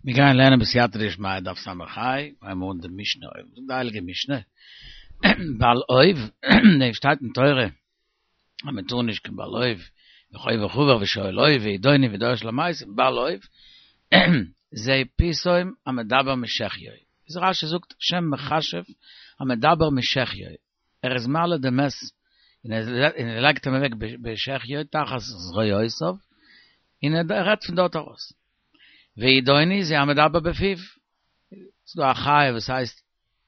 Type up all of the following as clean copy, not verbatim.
מיר גייען לערנען בסייעתא דשמיא דף ס"ה, הייבן מיר אן די משנה אוב, זאגט די הייליגע משנה, בעל אוב, דעם שטייט אין תורה אז מען טאר נישט קיין בעל אוב, וחובר חבר ושואל אוב וידעוני ודורש אל המתים, בעל אוב, זה פיתום המדבר משחיו, איז רש"י זאגט שם מכשף המדבר משחיו, ער איז מעלה די מת און ער לייגט אים אוועק בשחיו תחת זרועותיו און ער רעדט פון דארט ארויס. וידעוני זה המדבר בפיו, ס'איז דא א חיה וואס הייסט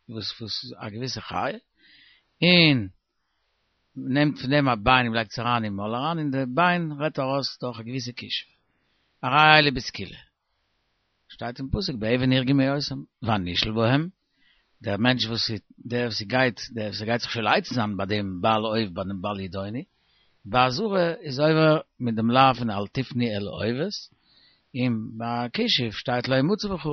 וואס וואס א געוויסע חיה און מ'נעמט פון דעם א ביין און מ'לייגט עס אריין אין מויל אריין און די ביין רעדט ארויס דורך א געוויסע כישוף. הרי אלו בסקילה. שטייט אין פסוק באבן ירגמו אותם והנשאל בהם, דער מענטש וואס דער וואס גייט דער וואס גייט זיך שואל עצה זיין ביי דעם בעל אוב ביי דעם בעל ידעוני, בעזרה איז עובר מיט דעם לאו פון אל תפנו אל האובות, און ביי כישוף שטייט לא ימצא בך.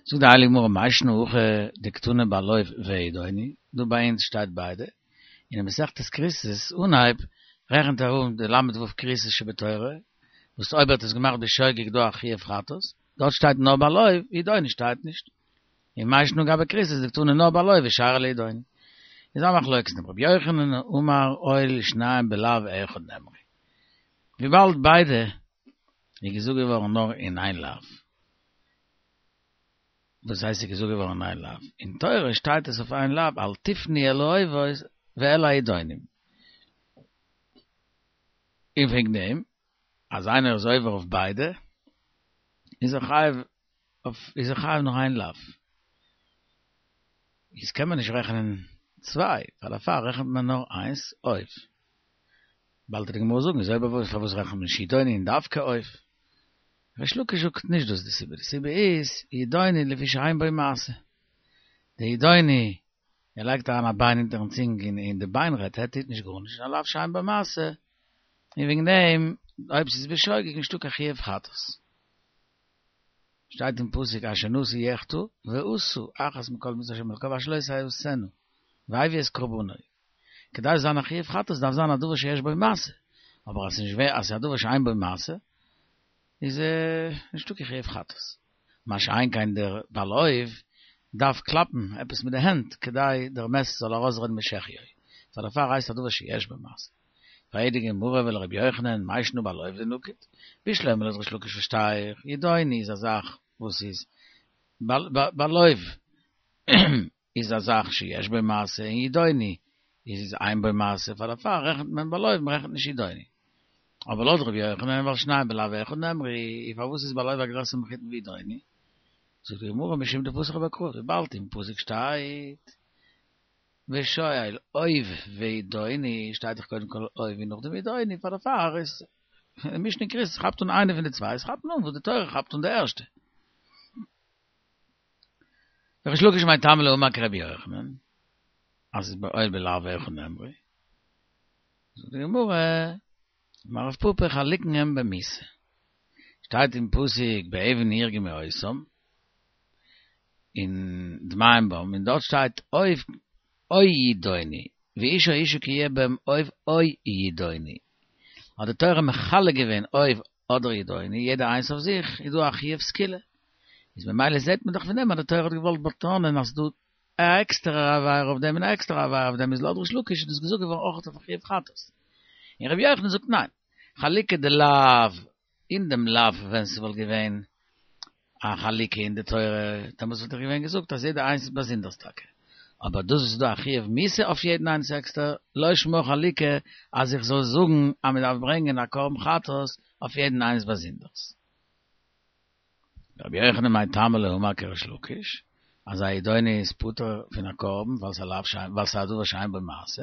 זאגט די הייליגע גמרא מאי שנא הכא דקתני בעל אוב וידעוני, דא ביי אונז שטייט ביידע, און אין מסכת כריתות אנהייב רעכנט ער אן די ל"ו כריתות שבתורה, וואס אויב ער האט עס געמאכט בשוגג איז דא א חיוב חטאת, דארט שטייט נאר בעל אוב, ידעוני שטייט נישט. און מאי שנא גבי כריתות דקתני נאר בעל אוב ושארי לידעוני. איז א מחלוקת רבי יוחנן אמר הואיל ושניהם בלאו אחד נאמרו. וויבאלד ביידע איז געזאגט געווארן נאר אין איין לאו. וואס הייסט ס'איז געזאגט געווארן אין איין לאו? אין תורה שטייט עס אויף איין לאו, אל תפנו אל האובות ואל הידעונים. און וועגן דעם אז איינער איז עובר אויף ביידע, איז ער חייב אויף איז ער חייב נאר איין לאו. איז קען מען נישט רעכענען צוויי, ווייל דערפאר רעכנט מען נאר איינס אוב. באלד וועט די גמרא זאגן איז אויב אזוי פארוואס רעכנט מען נישט ידעוני און דווקא אוב? ריש לקיש זאגט נישט דאס די סיבה, די סיבה איז ידעוני לפי שאין בו מעשה, די ידעוני ער לייגט אריין א ביין אונטערן צונג און די ביין רעדט ער טוט נישט גארנישט א לאו שאין בו מעשה, און וועגן דעם אויב ס'איז בשוגג נישטא קיין חיוב חטאת. שטייט אין פסוק אשר נשיא יחטא ועשה אחת מכל מצות השם אלקיו אשר לא תעשינה והביא את קרבנו. כדי ס'זאל זיין א חיוב חטאת דארף זיין א דבר שיש בו מעשה, אבער אז ס'נישט אז ס'איז א דבר שאין בו מעשה איז נישטא קיין חיוב חטאת. מה שאין כן דער בעל אוב דארף קלאפן עפעס מיט די הענט כדי דער מת זאל ארויסרעדן משחיו, פאר דערפאר הייסט א דבר שיש בו מעשה. פרעגט די גמרא ולרבי יוחנן מאי שנא בעל אוב דנקיט, בשלמא לויט ריש לקיש פארשטיי איך, ידעוני איז א זאך וואס איז בעל אוב איז א זאך שיש בו מעשה און ידעוני איז אין בו מעשה פאר דערפאר רעכנט מען בעל אוב מ'רעכנט נישט ידעוני. אבער לויט רבי יוחנן ווייל שניהם בלאו אחד נאמרו פארוואס איז בעל אוב א גרעסער מחותן ווי ידעוני? זאגט די גמרא משום דפתח ביה קרא וויבאלד אין פסוק שטייט ושואל אוב וידעוני שטייט דאך קודם כל אוב און נאכדעם ידעוני פאר דערפאר איז די משנה אין כריתות כאפט אן איינע פון די צוויי עס כאפט אן וואס די תורה כאפט אן די ערשטע. ריש לקיש מאי טעמא לא אמר כרבי יוחנן אז הואיל בלאו אחד נאמרו זאגט די גמרא אמר רב פפא חלוקין הם במיתה שטייט אין פסוק באבן ירגמו אותם און דמיהם בם און דארט שטייט אוב או ידעוני ואיש או אשה כי יהיה בם אוב או ידעוני האט די תורה מחלק געווען אוב אדער ידעוני יעדער איינס אויף זיך איז דא א חיוב סקילה איז ממילא זעט מען דאך פון דעם אז די תורה האט געוואלט באטאנען אז ס'דא א עקסטערע עבירה אויף דעם און א עקסטערע עבירה אויף דעם איז לויט ריש לקיש איז דאס געזאגט געווארן אויך אויף א חיוב חטאת און רבי יוחנן זאגט ניין חלוקה דלאו אין דעם לאו ווען ס'וואלט געווען א חלוקה אין די תורה, דעמאלטס וואלט איך געווען געזאגט אז יעדער איינס איז באזונדערס טאקע, אבער דאס וואס איז דא א חיוב מיתה אויף יעדן איינס עקסטער, לא שמה חלוקה אז איך זאל זאגן אז מען דארף ברענגען א קרבן חטאת אויף יעדן איינס באזונדערס. רבי יוחנן מאי טעמא לא אמר כריש לקיש, אז א ידעוני איז פטור פון א קרבן ווייל ס'איז א לאו שאין ווייל ס'איז א דבר שאין בו מעשה,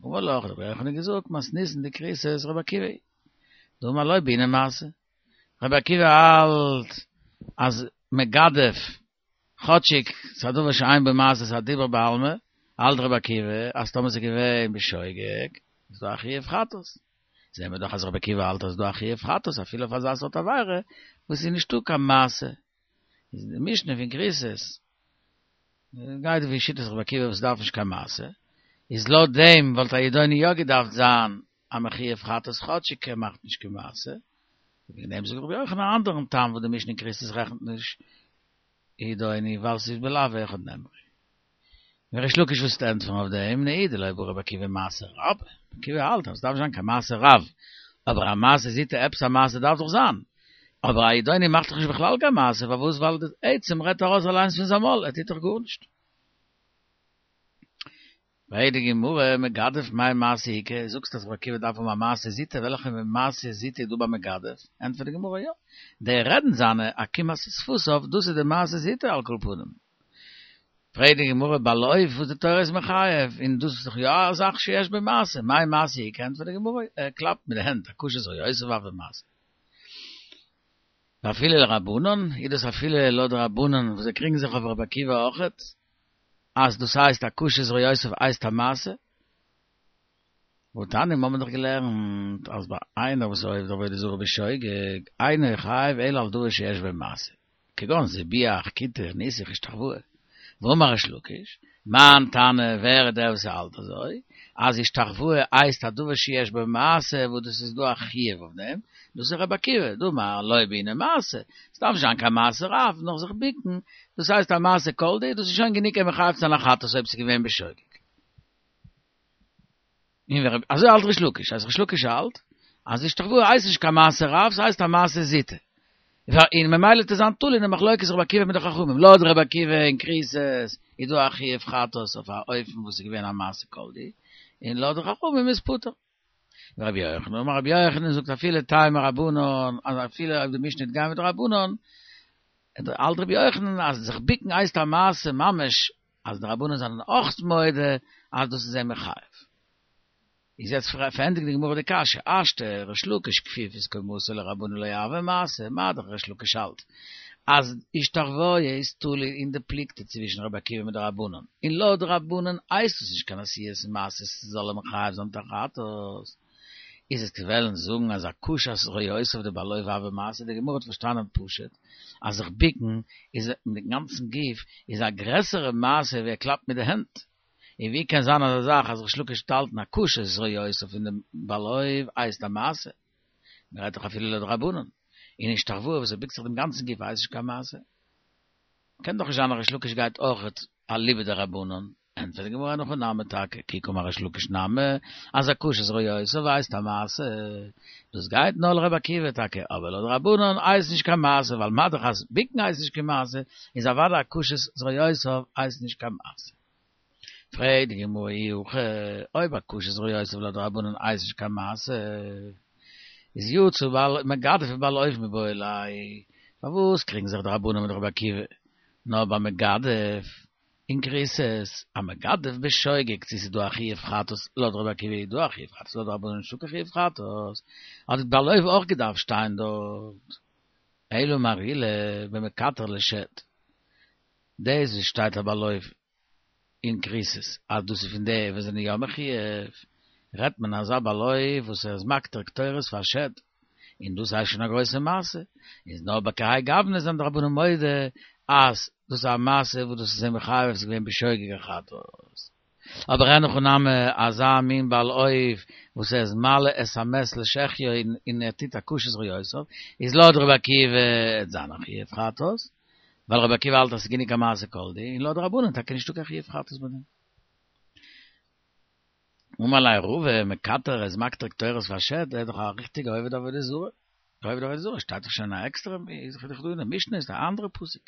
אמר לך, האט רבי יוחנן געזאגט, מתניתין דכריתות רבי עקיבא היא, דאמר לא בעינן מעשה. רבי עקיבא האלט אז מגדף, כאטשיג ס'איז א דבר שאין בו מעשה ס'איז א דיבור בעלמא, האלט רבי עקיבא אז טאמער ס'איז געווען בשוגג איז דא א חיוב חטאת. זעהן מיר דאך אז רבי עקיבא האלט אז ס'איז דא א חיוב חטאת אפילו אויף אזא סארט עבירה וואס איז נישטא קיין מעשה. איז די משנה פון כריתות גייט ווי שיטת רבי עקיבא וואס דארף נישט קיין מעשה, איז לויט דעם וואלט א ידעוני יא געדארפט זיין א מחויב חטאת כאטשיג ער מאכט נישט קיין מעשה. וועגן דעם זאגט רבי יוחנן א אנדערן טעם וואס די משנה אין כריתות רעכנט נישט ידעוני ווייל ס'איז בלאו אחד נאמרו. און ריש לקיש וואס וועט ענטפערן אויף דעם נהי דלא בעי רבי עקיבא מעשה רב, רבי עקיבא האלט אז ס'דארף נישט זיין קיין מעשה רב, אבער א מעשה זוטא עפעס א מעשה דארף דאך זיין, אבער א ידעוני מאכט דאך נישט בכלל קיין מעשה, פארוואס ווייל די עצם רעדט ארויס אליינס פון זיין מויל, ער טוט דאך גארנישט. פרעגט די גמרא, מגדף מאי מעשה איכא, זאגסט אז רבי עקיבא דארף האבן א מעשה זוטא, וועלכע מעשה זוטא איז דא ביי מגדף? ענטפערט די גמרא, יא, די רעדן זיינע, עקימת שפתיו, דאס איז די מעשה זוטא על כל פנים. פרעגט די גמרא, בעל אוב וואס די תורה איז מחייב, און דאס איז דאך יא א זאך שיש בו מעשה, מאי מעשה איכא? ענטפערט די גמרא, ער קלאפט מיט די הענט, הכושס זרועותיו הוי מעשה. ואפילו לרבנן, איז דאס אפילו לויט די רבנן וואס זיי קריגן זיך אויף רבי עקיבא אויכעט, אז דאס הייסט הכושס זרועותיו הייסט א מעשה? והתניא מיר האבן דאך געלערנט אז ביי איינער וואס איז עובד עבודה זרה בשוגג, אינו חייב אלא על דבר שיש בו מעשה, כגון זיבח, קיטר, ניסוך, השתחוואה. ואמר ריש לקיש, מאן תנא, ווער איז דער וואס האלט אזוי, אז השתחוואה הייסט א דבר שיש בו מעשה וואס דאס איז דא א חיוב אויף דעם, דאס איז רבי עקיבא, דאמר לא בעינן מעשה, עס דארף נישט זיין קיין מעשה רב, נאר זיך ביקן, דאס הייסט א מעשה כל דהו, דאס איז שוין גענוג אים מחייב צו זיין א חטאת אויב ס'איז געווען בשוגג. און ווער אזוי האלט ריש לקיש, אז ריש לקיש האלט אז השתחוואה הייסט נישט קיין מעשה רב, ס'הייסט א מעשה זוטא. און ממילא וועט עס זיין תלוי אין די מחלוקת רבי עקיבא מיט די חכמים. לויט רבי עקיבא אין כריתות איז דא א חיוב חטאת אויף א אופן וואס איז געווען א מעשה כל דהו, און לויט די חכמים איז פטור. ורבי יוחנן אמר רבי יוחנן זאגט אפילו טעמא רבנן אז אפילו אויב די משנה וועט גיין מיט די רבנן, האלט רבי יוחנן אז זיך ביקן הייסט א מעשה ממש אז די רבנן זענען אויך מודה אז דאס איז אים מחייב. איז יעצט פארענדיגט די גמרא די קשיא, השתא ריש לקיש כפיפת קומתו לרבנן לא הוי מעשה, מה דאך ריש לקיש האלט אז השתחוואה איז תלוי אין די פלוגתא צווישן רבי עקיבא מיט די רבנן, און לויט די רבנן הייסט עס נישט קיין עשיית מעשה ס'זאל אים מחייב זיין מיט א חטאת, איז עס וועלן זאגן אז הכושת זרועותיו דבעל אוב הוי מעשה, די גמרא האט פארשטאנען פשוט אז זיך ביקן איז מיטן גאנצן גוף איז א גרעסערע מעשה ווי ער קלאפט מיט די הענט, און ווי קען זיין אזא זאך אז ריש לקיש וועט האלטן הכושת זרועותיו פון דעם בעל אוב הייסט א מעשה? מען רעדט דאך אפילו לויט די רבנן, און השתחוואה וואס ער ביקט זיך דעם גאנצן גוף הייסט נישט קיין מעשה. קען דאך נישט זיין אז ריש לקיש גייט אויכעט אליבא דרבנן, ענטפערט די גמרא אין הכי נמי טאקע, כי קאמר ריש לקיש נמי, אז הכושת זרועותיו הייסט א מעשה, דאס גייט נאר לרבי עקיבא טאקע, אבער לויט רבנן הייסט נישט קיין מעשה, ווייל מה דאך אז ביקן הייסט נישט קיין מעשה, איז אוודאי הכושת זרועותיו הייסט נישט קיין מעשה. פרעגט די גמרא אי הכי, אויב הכושת זרועותיו לויט רבנן הייסט נישט קיין מעשה, איז יצא בעל מגדף ובעל אוב מיבעי ליה, פארוואס קריגן זיך די רבנן מיט רבי עקיבא נאר ביי מגדף אין כריתות, א מגדף בשוגג צו ס'איז דא א חיוב חטאת, לויט רבי עקיבא איז דא א חיוב חטאת, לויט רבנן נישטא קיין חיוב חטאת, האט בעל אוב אויך געדארפט שטיין דארט. אלא אמר עולא במקטר לשד. דאס וואס שטייט א בעל אוב אין כריתות אז דאס איז פון די וואס זענען יא מחויב, רעדט מען אזא בעל אוב וואס ער איז מקטיר קטורת פאר שד, און דאס הייסט שוין א גרויסע מעשה, איז נאר בכהאי גוונא זענען די רבנן מודה אז דאס איז א מעשה וואס דאס איז זיי מחייב אויב ס'איז געווען בשוגג א חטאת. אבער אין הכי נמי אזא מין בעל אוב וואס ער איז מעלה את המת לשחיו און ער טוט הכושת זרועותיו, איז לויט רבי עקיבא וועט זיין א חיוב חטאת, ווייל רבי עקיבא האלט אז ס'איז גענוג א מעשה כל דהו, און לויט די רבנן טאקע נישטא קיין חיוב חטאת ביי דעם. אמר ליה רבא, מקטר איז מקטיר קטורת פאר שד, ער איז דאך א ריכטיגע עובד עבודה זרה. דער עובד עבודה זרה שטייט דאך שוין א עקסטערע, איז דאך דא אין די משנה איז א אנדערע פסוק.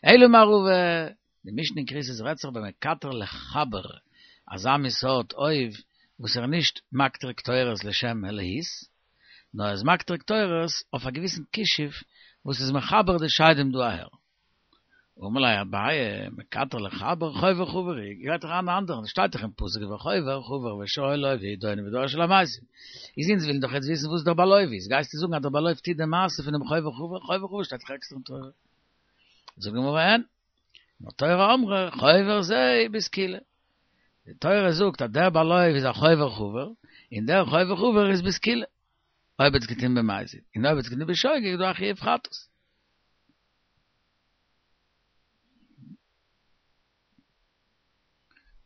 אלא אמר רבא, די משנה אין כריתות רעדט זיך במקטר לחבר, אזא מין סארט אוב וואס ער איז נישט מקטיר קטורת לשם אלהות, נאר ער איז מקטיר קטורת אויף א געוויסן כישוף וואס איז מחבר די שדים דא אהער. אמר ליה אביי, מקטר לחבר חובר חבור הוא, גייט דאך אן אנדערן, שטייט דאך אין פסוק וחובר חבר ושואל אוב וידעוני ודורש אל המתים. איז אונז ווילן דאך יעצט וויסן וואס דער בעל אוב איז, גייסטו זאגן אז דער בעל אוב טוט די מעשה פונעם חובר חבור, חובר חבור שטייט דאך עקסטער אין תורה. זאגט די גמרא אין, נאר תורה אמרה חובר זה בסקילה. די תורה זאגט אז דער בעל אוב איז א חובר חבור, און דער חובר חבור איז בסקילה. אויב האט עס געטון במזיד, און אויב האט עס געטון בשוגג איז דא א חיוב חטאת.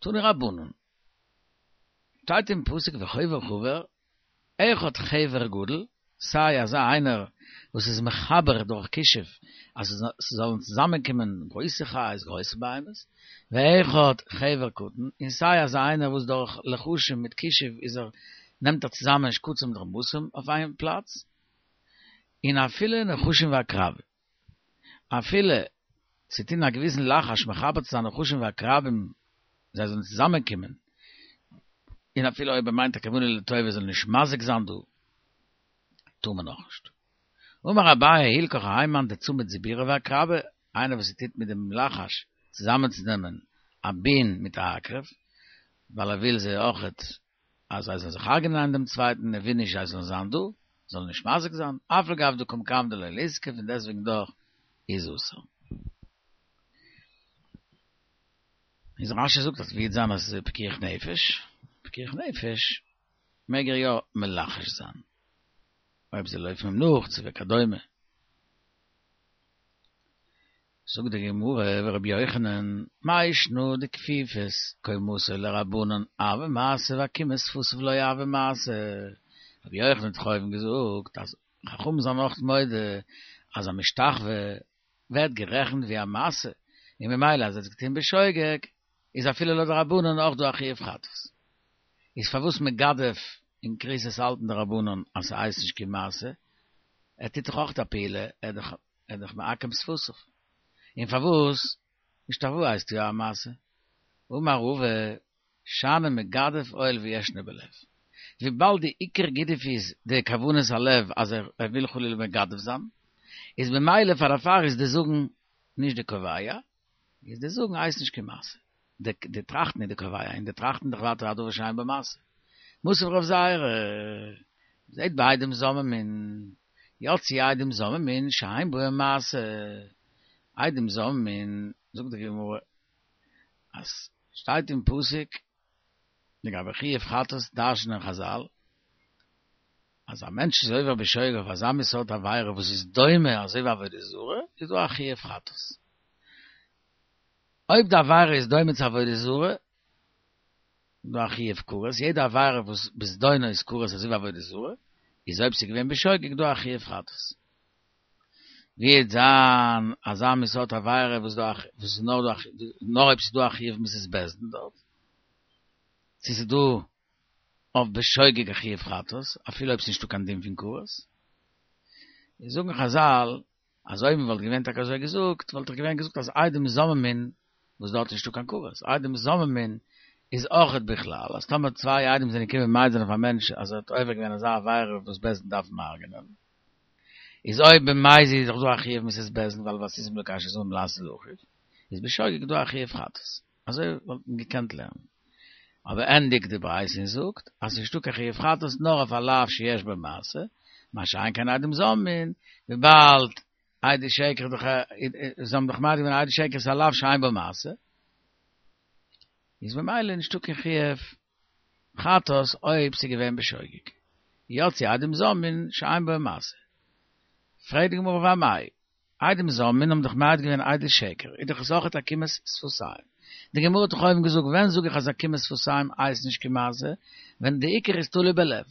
תנו רבנן, שטייט אין פסוק וחובר חבר, אחד חבר גדול, סיי אזא איינער וואס איז מחבר דורך כישוף אז ס'זאלן צוזאמענקומען גרויסע חיות גרויסע בהמות, ואחד חבר קטן, און סיי אזא איינער וואס דורך לחשים מיט כישוף איז ער נעמט ער צוזאמען שקצים מיט רמסים אויף איין פלאץ, און אפילו נחשים ועקרבים. אפילו צו טון א געוויסן לחש מחבר צו זיין נחשים ועקרבים זיי זאלן צוזאמען קומען, און אפילו אויב ער מיינט א כוונה לטובה זאל נישט מזיק זיין דא, טאר מען נאכנישט. אמר אביי הלכך האי מאן דצמיד זיבורא ועקרבא, איינער וואס טוט מיט דעם לחש צוזאמענצונעמען א בין מיט א עקרב, ווייל ער וויל זיי אויכעט אז זיי זאלן זיך הרג'נען איינער דעם צווייטן, ער וויל נישט זיי זאלן זיין דא, זאלן נישט מזיק זיין, אף על גב דקא מכוון דלא ליזקי, פון דעסטוועגן דאך איז אסור. איז רש"י זאגט אז וועט זיין אז ס'איז פיקוח נפש, פיקוח נפש מעג ער יא מלחש זיין, אויב זיי לויפן אים נאך צו וכדומה. זאגט די גמרא ורבי יוחנן, מאי שנא דכפיפת קומתו לרבנן הוי מעשה ועקימת שפתיו לא הוי מעשה, רבי יוחנן האט דאך אויבן געזאגט אז חכמים זענען אויך מודה אז א משתחווה ווערט גערעכנט ווי א מעשה, און ממילא אז ער האט עס געטון בשוגג איז אפילו לויט די רבנן אויך דא א חיוב חטאת. איז פארוואס מגדף און כריתות האלטן די רבנן אז ס'הייסט נישט קיין מעשה? ער טוט דאך אויך א פעולה, ער איז ער איז דאך מעקם שפתיו. און פארוואס השתחוואה הייסט יא א מעשה? אמר רבא, שאני מגדף הואיל וישנו בלב. וויבאלד די עיקר גידוף איז די כוונת הלב אז ער וויל חלילה מגדף זיין, איז במילא פאר דערפאר איז די זאגן נישט די קובע, איז די זאגן הייסט נישט קיין מעשה. די טראכטן איז די קובע, און די טראכטן דאך ווייטער א דבר שאין בו מעשה. מתיב רב זירא, זעהט ביי עדים זוממין, יצאו עדים זוממין שאין בהם מעשה, עדים זוממין, זאגט די גמרא אז שטייט אין פסוק לגבי חיוב חטאת דרש'נען חזל אז א מענטש איז עובר בשוגג אויף אזא מין סארט עבירה וואס איז דומה אזוי ווי עבודה זרה, איז דא א חיוב חטאת. אויב די עבירה איז דומה צו עבודה זרה, איז דא א חיוב כרת, יעדע עבירה וואס בזדונו איז כרת אזוי ווי עבודה זרה, איז אויב ס'איז געווען בשוגג דא א חיוב חטאת. ווי וועט זיין אזא מין סארט עבירה וואס דא וואס איז נאר דא נאר אויב ס'איז דא א חיוב מיתת בית דין דארט, צו ס'איז דא אויף בשוגג א חיוב חטאת, אפילו אויב ס'איז נישטא קיין דין פון כרת. איז זאגן חזל אז אויב מ'וואלט געווען טאקע אזוי געזאגט, וואלט איך געווען געזאגט אז עדים זוממין, וואס דארט איז נישטא קיין כרת, עדים זוממין איז אויכעט בכלל, אז טאמער צוויי עדים זענען געקומען מעיד זיין אויף א מענטש אז ער האט עובר געווען אזא עבירה וואס בית דין דארף אים הרג'נען, איז אויב במזיד איז דאך דא א חיוב מיתת בית דין ווייל ועשיתם לו כאשר זמם לעשות לאחיו, איז בשוגג דא א חיוב חטאת. אזוי וואלט מען געקענט לערנען. אבער ענדיגט די ברייתא און זאגט אז ס'נישטא קיין חיוב חטאת נאר אויף א לאו שיש בו מעשה, מה שאין כן עדים זוממין, וויבאלד עדי שקר דאך זיי האבן דאך מעיד געווען עדי שקר איז א לאו שאין בו מעשה, איז ממילא נישטא קיין חיוב חטאת אויב ס'איז געווען בשוגג. יצאו עדים זוממין שאין בו מעשה. פרעגט די גמרא ואמאי, עדים זוממין האבן דאך מעיד געווען עדות שקר, איז דאך עס אויכעט עקימת שפתיים. די גמרא האט דאך אויבן געזאגט ווען זאג איך אז עקימת שפתיים הייסט נישט קיין מעשה, ווען די עיקר איז תלוי בלב.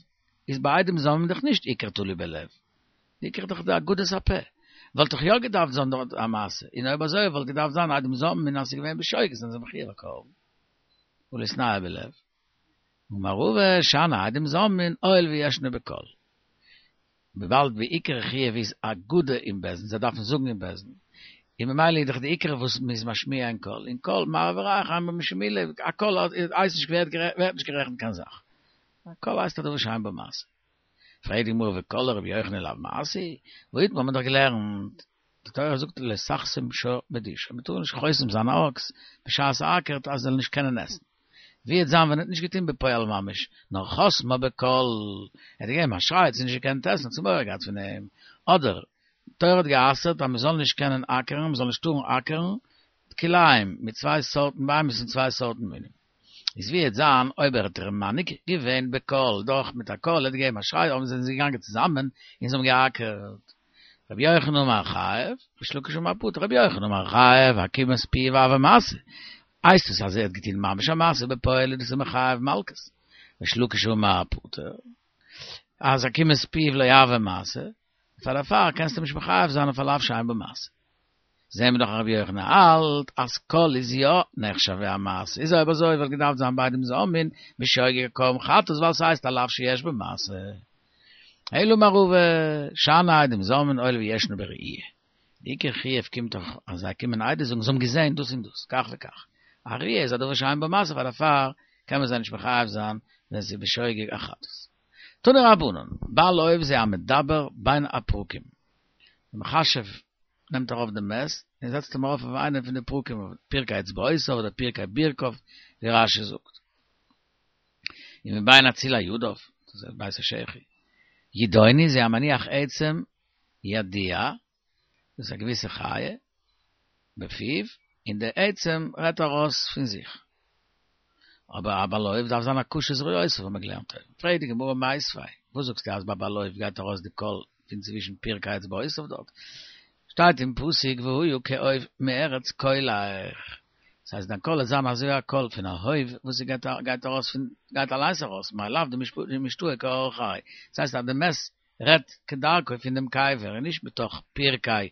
איז ביי עדים זוממין דאך נישט עיקר תלוי בלב. די עיקר איז דאך די אגודת הפה. וואלט דאך יא געדארפט זיין דארט א מעשה, און אויב אזוי וואלט געדארפט זיין עדים זוממין אז ס'איז געווען בשוגג זענען זיי מחויב א קרבן. הא ליתנהו בלב. אמר רבא שאני עדים זוממין הואיל וישנו בקול. וויבאלד די עיקר חיוב איז אגודה אין בית דין, זיי דארפן זאגן אין בית דין, און ממילא איז דאך די עיקר וואס מ'איז משמיע אין קול, און קול מראה וריח אין בו משום מילה, א קול הייסט נישט ווערט נישט גערעכנט קיין זאך, א קול הייסט א דבר שאין בו מעשה. פרעגט די גמרא וקול לרבי יוחנן לאו מעשה הוא, והאיתמר האט מען דאך געלערנט, די תורה זאגט לא תחסום שור בדישו, מען טאר נישט חוסם זיין א אקס בשעת ער אקערט אז ער זאל נישט קענען עסן. ווי וועט זיין ווען ער האט נישט געטון בפועל ממש, נאר חסמה בקול, ער האט געגעבן א שריי, האט זי נישט געקענט עסן, האט זי מורא געהאט פון אים, אדער, די תורה האט גע'אסר'ט אז מען זאל נישט קענען אקערן, מען זאל נישט טארן אקערן כלאים מיט צוויי סארטן בהמות פון צוויי סארטן מינים. איז ווי וועט זיין אויב ער האט איר מנהיג געווען בקול, דורך מיט א קול, ער האט געגעבן א שריי, אבער זענען זיי געגאנגען צוזאמען און זיי האבן געאקערט. רבי יוחנן אמר חייב, ריש לקיש אמר פטור, רבי יוחנן אמר חייב, עקימת פיו הוי מעשה. הייסט עס אז ער האט געטון ממש א מעשה בפועל איז דאס אים מחייב מלקות. ריש לקיש אמר פטור. אז עקימת פיו לא הוי מעשה, פאר דערפאר קענסטו נישט מחייב זיין אויף א לאו שאין בו מעשה. זעהן מיר דאך אז רבי יוחנן האלט אז קול איז יא נחשב ווי א מעשה, איז אויב אזוי וואלט געדארפט זיין ביי עדים זוממין בשוגג א קרבן חטאת ווייל ס'הייסט א לאו שיש בו מעשה. אלא אמר רבא, שאני עדים זוממין הואיל וישנה בראייה. די עיקר חיוב קומט דאך אז זיי קומען עדות זאגן זיי האבן געזעהן דאס און דאס, כך וכך. א ראייה איז א דבר שאין בו מעשה פאר דערפאר קען מען זיי נישט מחייב זיין ווען ס'איז בשוגג א חטאת. תנו רבנן, בעל אוב זה המדבר בין הפרקים. די מכשף נעמט ארויף דעם מת און זעצט אים ארויף אויף איינע פון די פרקים, פרקי אצבעותיו אדער פרקי ברכיו, ווי רש"י זאגט. און מבין אצילי ידיו, דאס איז בית השחי. ידעוני זה המניח עצם ידוע, דאס איז א געוויסע חיה, בפיו, און די עצם רעדט ארויס פון זיך. אבער א בעל אוב דארף זיין א קשה זרועותיו האבן מיר געלערנט אויבן. פרעגט די גמרא מיתיבי, וואס זאגסטו אז ביי בעל אוב גייט ארויס די קול פון צווישן פרקי אצבעותיו דארט? שטייט אין פסוק והיה כעוף מארץ קולך, דאס הייסט דיין קול וועט זיין אזוי א קול פון א הויף וואס גייט ארויס פון גייט אליינס ארויס מאי לאו דמשתעי כאורחיה, דאס הייסט אז די מת רעדט כדרכו פון דעם קבר און נישט מתוך פרקי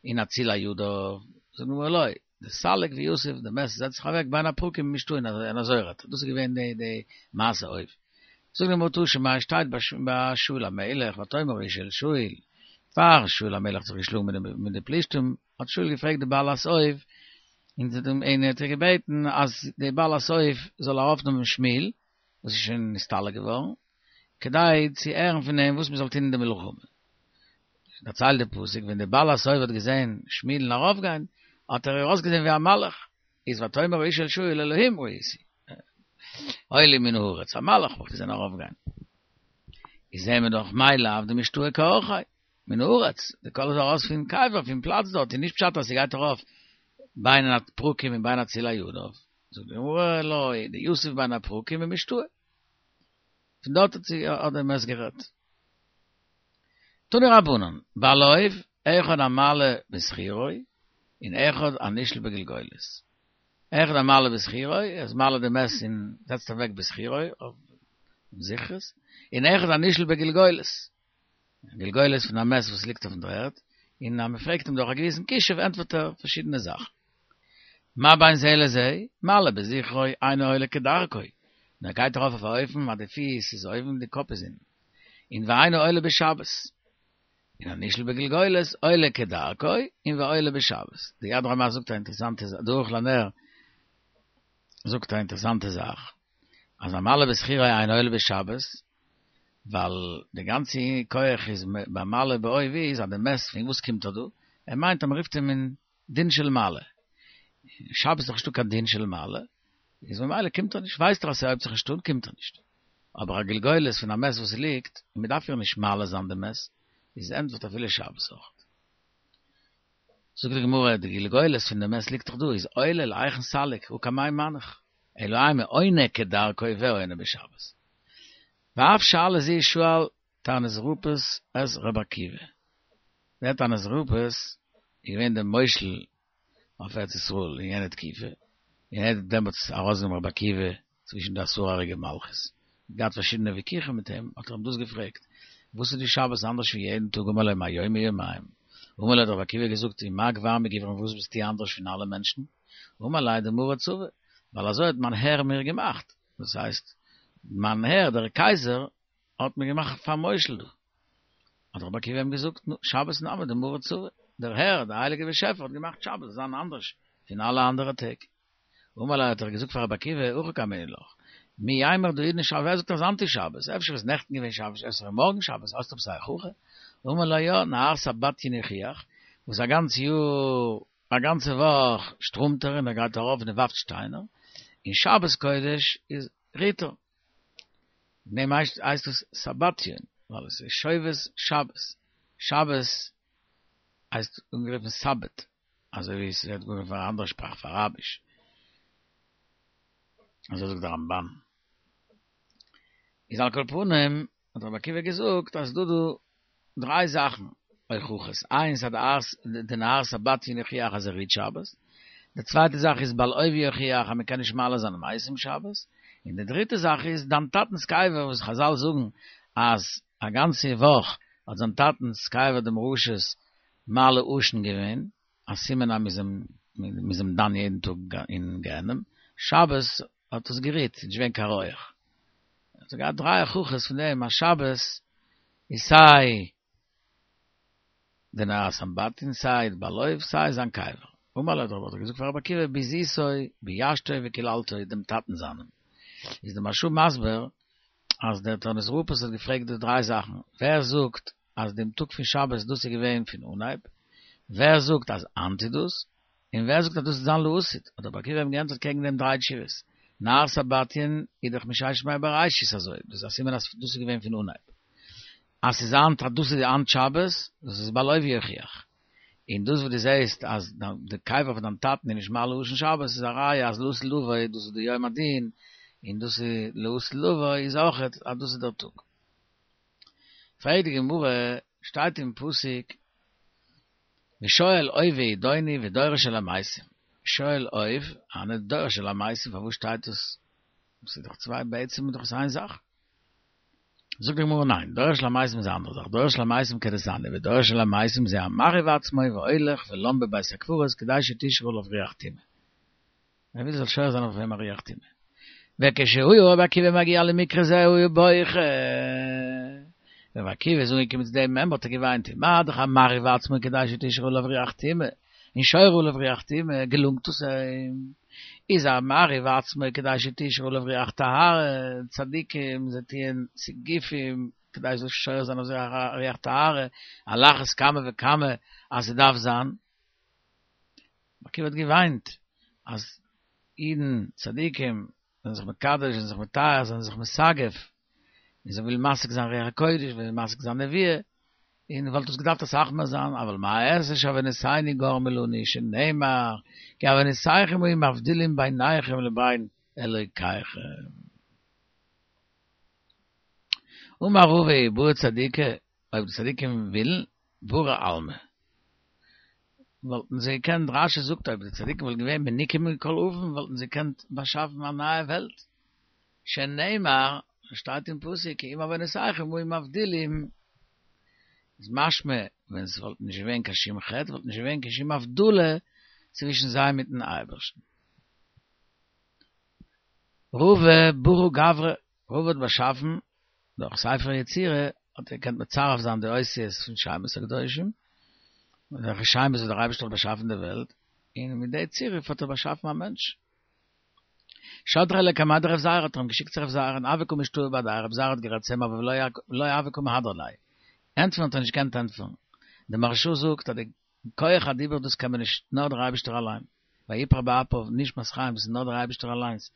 און אצילי ידיו, זאגט די גמרא לא, דסליק ויתיב, די מת זעצט זיך אוועק בין הפרקים ומשתעי און אזוי רעדט ער, דאס איז געווען די מעשה אוב. זאגט די גמרא תא שמע שטייט ביי שאול המלך ותאמר האשה אל שאול, פאר שאול המלך האט זיך געשלאגן מיט די פלישתים האט שאול געפרעגט די בעלת אוב און ער האט איר געבעטן אז די בעלת אוב זאל ארויפנעמען שמואל וואס איז שוין נסתלק געווארן, כדי צו הערן פון אים וואס מען זאל טון אין די מלחמה. דערציילט די פסוק, ווען די בעלת אוב האט געזען שמואל'ן ארויפגיין, האט ער איר אויסגעזען ווי א מלאך, איז ותאמר האשה אל שאול אלהים ראיתי, עולים מן הארץ, א מלאך האב איך געזען ארויפגיין. איז זעהן מיר דאך מאי לאו דמשתעי כאורחיה, מן הארץ, די קול איז ארויס פון קבר, פון פלאץ דארט, און נישט פשט אז ס'גייט ארויף בין הפרקים און בין אצילי ידיו. זאגט די גמרא לא, דיתיב בין הפרקים ומשתעי. פון דארט האט זי האט דער מת גערעדט. תנו רבנן, בעל אוב, אחד המעלה בשכירו, און אחד הנשאל בגלגולת. אחד המעלה בשכירו, ער איז מעלה די מת און זעצט אוועק בשכירו, אויף זכרות, און אחד הנשאל בגלגולת. גלגולת פון א מת וואס ליגט אויפן דר'ערד, און אז מ'פרעגט אים דורך א געוויסן כישוף ענטפערט ער פארשידענע זאכן. מה בין זה לזה? מעלה בזכרו אינו עולה כדרכו, און ער גייט ארויף אויף א אופן אז די פיס איז אויבן און די קאפ איז אונטן, און ואינו עולה בשבת. און הנשאל בגלגולת עולה כדרכו און ועולה בשבת. די יד רמה זאגט א אינטערעסאנטע זאך, די ערוך לנר זאגט א אינטערעסאנטע זאך, אז המעלה בזכרו אינו עולה בשבת, ווייל די גאנצע כח איז ביי מעלה באוב איז אז די מת פון וואס קומט ער דא? ער מיינט אז מ'רופט אים אין דין של מעלה. שבת איז דאך נישטא קיין דין של מעלה, איז ממילא קומט ער נישט, ווייסט ער אז ס'הויבט זיך נישט אן קומט ער נישט. אבער א גלגולת פון א מת וואס ליגט, און מ'דארף איר נישט מעלה זיין די מת, איז ענטפערט אפילו שבת אויך. זאגט די גמרא, די גלגולת פון די מת ליגט דאך דא, איז עולה להיכן סליק, הא קמאי מנח, אלא אימא עונה כדרכו ועונה בשבת. ואף שאלה זו שאל טורנוסרופוס את רבי עקיבא. דער טורנוסרופוס איז געווען דער מושל אויף ארץ ישראל אין יענע תקופה, און ער האט דעמאלטס ארויסגענומען רבי עקיבא צווישן די עשרה הרוגי מלכות, געהאט פארשידענע וויכוחים מיט אים, האט ער אים דאס געפרעגט, וואס איז די שבת אנדערש פון יעדן טאג אמר לו מה יום מיומים, אמר לו האט רבי עקיבא געזאגט ומה גבר מגברא וואס ביסטו אנדערש פון אלע מענטשן, אמר ליה דמרי צבא, ווייל אזוי האט מיין הער מיר געמאכט, דאס הייסט, מיין הער דער קייזער האט מיר געמאכט פאר מושל דא. האט רבי עקיבא אים געזאגט, נו, שבת נמי דמרי צבא, דער הער, דער הייליגער באשעפער האט געמאכט שבת זאל זיין אנדערש פון אלע אנדערע טעג. אמר ליה האט ער געזאגט פאר רבי עקיבא, הכי קאמינא לך, מי יימר דהאידנא שבת, ווער זאגט אז היינט איז שבת, אפשר איז נעכטן געווען שבת, אפשר איז מארגן שבת, האסט עפעס א הוכחה? אמר ליה יא, נהר סמבטיון יוכיח, וואס א גאנץ יאר א גאנצע וואך שטראמט ער און ער גייט ארויף און ער ווארפט שטיינער, און שבת קודש איז רוט ער. דעם הייסט עס סמבטיון, ווייל עס איז שובת שבת. שבת הייסט אנגערופן סבת, אזוי ווי עס ווערט אנגערופן אין אנדערע שפראך אויף אראביש. אזוי זאגט דער רמב"ן. איז על כל פנים האט רבי עקיבא געזאגט אז ס'דא דא דריי זאכן הוכחות, איינס אז די נהר סמבטיון יוכיח אז ער רוט שבת, די צווייטע זאך איז בעל אוב יוכיח אז מען קען נישט מעלה זיין מתים שבת, און די דריטע זאך איז דיין טאטנס קבר וואס חזל זאגן אז. א גאנצע וואך האט זיין טאטנ'ס קבר דעם רשע'ס מעלה עשן געווען, א סימן אז מ'איז אים דן יעדן טאג אין גיהנום, שבת האט עס גערוהט, ס'איז נישט געווען קיין רויעך. האט ער געהאט דריי הוכחות פון דעם אז שבת איז סיי די נהר סמבטיון סיי די בעל אוב סיי זיין קבר. אמר ליה האט ער געזאגט פאר רבי עקיבא ביזיתו ביישתו וקללתו דעם טאטן זיינעם. איז די מהרש"א מסביר אז דער טורנוס רופוס האט געפרעגט די דריי זאכן, ווער זאגט אז דעם טאג פון שבת דאס איז געווען פון אנהייב, ווער זאגט אז היינט איז דאס, און ווער זאגט אז דאס וועט זיין לעתיד, האט רבי עקיבא אים געענטפערט קעגן דעם דריי תשובות, נהר סמבטיון איז דאך מששת ימי בראשית אזוי, דאס איז א סימן אז דאס איז געווען פון אנהייב. אז ס'איז היינט אז דאס איז היינט שבת, דאס איז בעל אוב יוכיח. און דאס וואס דו זעסט אז די קבר פון דיין טאטן איז נישט מעלה עשן שבת איז א ראיה אז לעתיד לבוא דאס איז די יום הדין, און דאס איז לעתיד לבוא איז אויכעט אז דאס איז דער טאג. פרעגט די גמרא, שטייט אין פסוק ושואל אוב וידעוני ודורש אל המתים, שואל אוב, און דורש אל המתים, פארוואס שטייט דאס? ס'איז דאך צוויי בעצם איז דאך עס איין זאך. זאגט די גמרא ניין, דורש אל המתים איז א אנדערע זאך, דורש אל המתים כדתניא, ודורש אל המתים זה המרהיב עצמו והולך ולן בבית הקברות כדי שתשרה עליו רוח טומאה. ער וויל זאל שורה זיין אויף אים א רוח טומאה. וכשהיה רבי עקיבא מגיע למקרא זה היה בוכה. ווען רבי עקיבא איז אנגעקומען צו דעם מימרא האט ער געוויינט, מה דאך המרהיב עצמו כדי שתשרה עליו רוח טומאה, און שורה עליו רוח טומאה, געלונגט עס אים, איז המרהיב עצמו כדי שתשרה עליו רוח טהרה, צדיקים זיי טוען סיגופים כדי זאל שורה זיין אויף זיי א רוח טהרה, על אחת כמה וכמה אז ס'דארף זיין. רבי עקיבא האט געוויינט אז אידן צדיקים זענען זיך מקדש, זענען זיך מטהר, זענען זיך מסגף, און זיי ווילן משיג זיין רוח הקודש, ווילן משיג זיין נבואה, און וואלט עס געדארפט אסאך מער זיין, אבל מה אעשה שעוונותינו גרמו לנו, שנאמר, כי עוונותיכם היו מבדילים ביניכם לבין אלוקיכם. אמר רבא אי בעו צדיקי, אויב די צדיקים ווילן, ברא עלמא. וואלטן זיי געקענט, רש"י זאגט אויב די צדיקים וואלטן געווען מנוקים מכל עוון וואלטן זיי געקענט באשאפן א נייע וועלט, שנאמר, שטייט אין פסוק כי אם עוונותיכם היו מבדילים, איז משמע ווען עס וואלט נישט געווען קיין שום חטא וואלט נישט געווען קיין שום הבדלה צווישן זיי מיטן אייבערשטן. רבא ברא גברא, רבא האט באשאפן דורך ספר יצירה האט ער געקענט מצרף זיין די אותיות פון שמות הקדושים, וועלכע שמות וואס דער אייבערשטער האט באשאפן די וועלט, און מיט די צירוף האט ער באשאפן א מענטש. שדריה לקמיה דרב זירא האט ער אים געשיקט צו רב זירא און הוה קא משתעי בהדיה רב זירא האט גערעדט צו אים אבער ולא הוה קא מהדר ליה. ענטפערן האט ער נישט געקענט ענטפערן. די מהרש"א זאגט אז די כח הדיבור דאס קען מען נישט נאר דער אייבערשטער אליין. ויפח באפיו נשמת חיים דאס איז נאר דער אייבערשטער אליינס.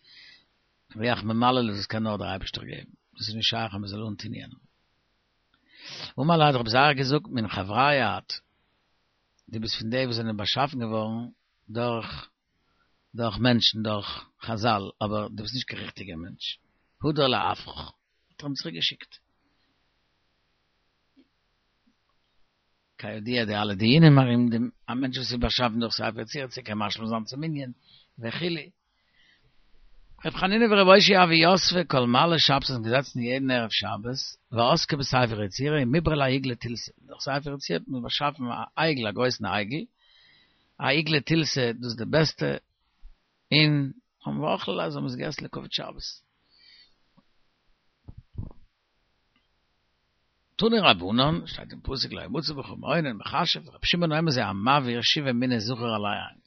רוח ממללא דאס קען נאר דער אייבערשטער געבן. דאס איז נישט שייך אז מען זאל אנטון יענעם. אמר ליה האט רב זירא געזאגט מן חבריא את. דו ביסט פון די וואס זענען באשאפן געווארן דורך דורך מענטשן, דורך חזל, אבער דו ביסט נישט קיין ריכטיגער מענטש. הדר לעפרך. האט ער אים צוריק געשיקט. כידוע די אלע דיונים ארום דעם, א מענטש וואס איז באשאפן דורך ספר יצירה צו קען משלים זיין צום מנין וכו'. ר' חנינא ור' אושעיא הוו יתבי כל מעלי שבתא זענען געזעצן יעדן ערב שבת ועסקי בספר יצירה ומיברו ליה עיגלא תילתא, דורך ספר יצירה האט מען באשאפן א עגל א גרויסן עגל, א עיגלא תילתא דאס איז די בעסטע, און האבן ואכלי ליה זיי האבן עס געגעסן לכבוד שבת. תנו רבנן, שטייט אין פסוק לא ימצא בך מעונן מכשף, רבי שמעון אומר זה המבעיר שבעה מיני זכר על העין,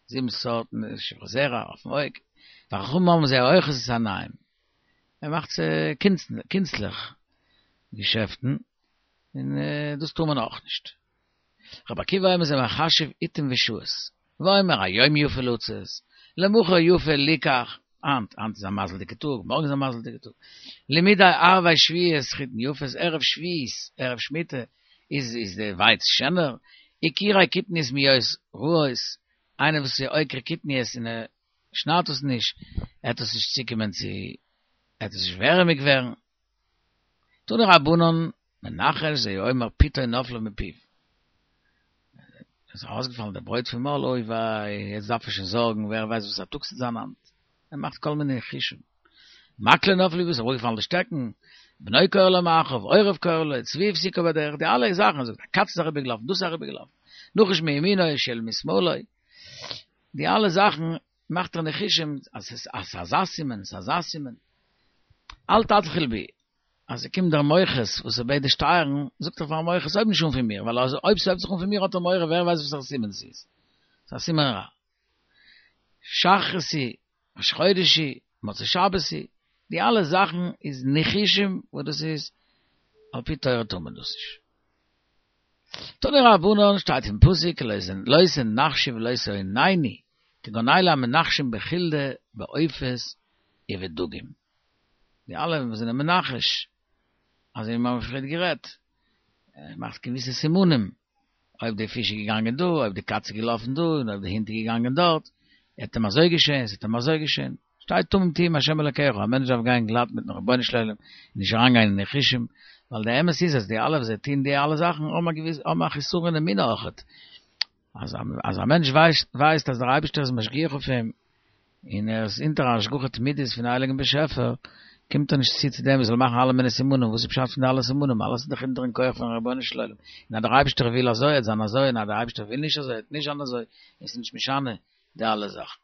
זיבן סארטן שכבת זרע אויפן אויג, וחכמים אומרים זה האוחז את העיניים, ער מאכט קונצליך געשעפטן, און דאס טאר מען אויך נישט. רבי עקיבא אומר זה מחשב עתים ושעות, ואומר היום יפה לצאת, למחר יפה ליקח, היינט, היינט איז א מזל'דיגע טאג, מארגן איז א מזל'דיגע טאג, למדי ערבי שביעית חיטין יפות, ערב שביעית, ערב שמיטה, איז איז די ווייץ שענער, עקירי קטניות מהיות רעות, איינער וואס איז עוקר קטניות און ער שניידט עס נישט, עט עס נישט צוקומען צו, עט עס נישט ווערעמיג ווערן. תנו רבנן, מנחש זה האומר פיתו נפלה מפיו. עס איז ארויסגעפאלן די ברויט פון מויל, אוי וויי, יעצט דארף ער שוין זארגן, ווער ווייסט וואס א טאג ס'וועט זיין היינט. ער מאכט כל מיני ניחושים. מקלו נפל, איז אראפגעפאלן די שטעקן. בנו קורא לו מאחריו, עורב קורא לו, צבי הפסיקו בדרך, די אלע זאכן, זאגט א קאץ איז אריבערגעלאפן, דאס איז אריבערגעלאפן, נחש מימינו, שועל משמאלו, די אלע זאכן מאכט ער ניחושים אז ס'איז אזא סימן, ס'איז אזא סימן. אל תתחיל בי, אז ס'קומט דער מוכס וואס ער בעט די שטייערן, זאגט ער פארן מוכס הויב נישט אן פון מיר, ווייל אויב ס'הויבט זיך אן פון מיר האט ער מורא ווער ווייסט וואסערע סימן ס'איז. ס'איז א סימן רע. שחרית היא, ראש חודש היא, מוצאי שבת היא, די אלע זאכן איז ניחושים וואס דאס איז על פי תורה טאר מען דאס נישט. תנו רבנן שטייט אין פסוק לא תנחשו ולא תעוננו כגון אלו המנחשים בחולדה בעופות ובדגים. די אלע וואס זענען מנחש, אזוי ווי מיר האבן פריער גערעדט, ער מאכט געוויסע סימנים, אויב די פיש איז געגאנגען דא, אויב די קאץ איז געלאפן דא, און אויב די הונט איז געגאנגען דארט, עט אים אזוי געשען, ס'עט אים אזוי געשען. שטייט תמים תהיה עם השם אלקיך, א מענטש דארף גיין גלאט מיטן רבונו של עולם, און נישט אריינגיין אין ניחושים, ווייל די אמת איז אז די אלע וואס זיי טוהן די אלע זאכן האבן א געוויס האבן א חסרון אמונה אויכעט, אז אז א מענטש ווייסט ווייסט אז דער אייבערשטער איז משגיח אויף אים, און ער איז אונטער א השגחה תמידית פון הייליגן באשעפער, קומט ער נישט צו צו דעם ער זאל מאכן אלע מיני סימנים, וואס איז פשט פון די אלע סימנים? אלעס איז דאך אונטערן כח פון רבונו של עולם, און אז דער אייבערשטער וויל אזוי עט זיין אזוי, און אז דער אייבערשטער וויל נישט אזוי עט נישט זיין אזוי, און ס'איז נישט משנה די אלע זאכן.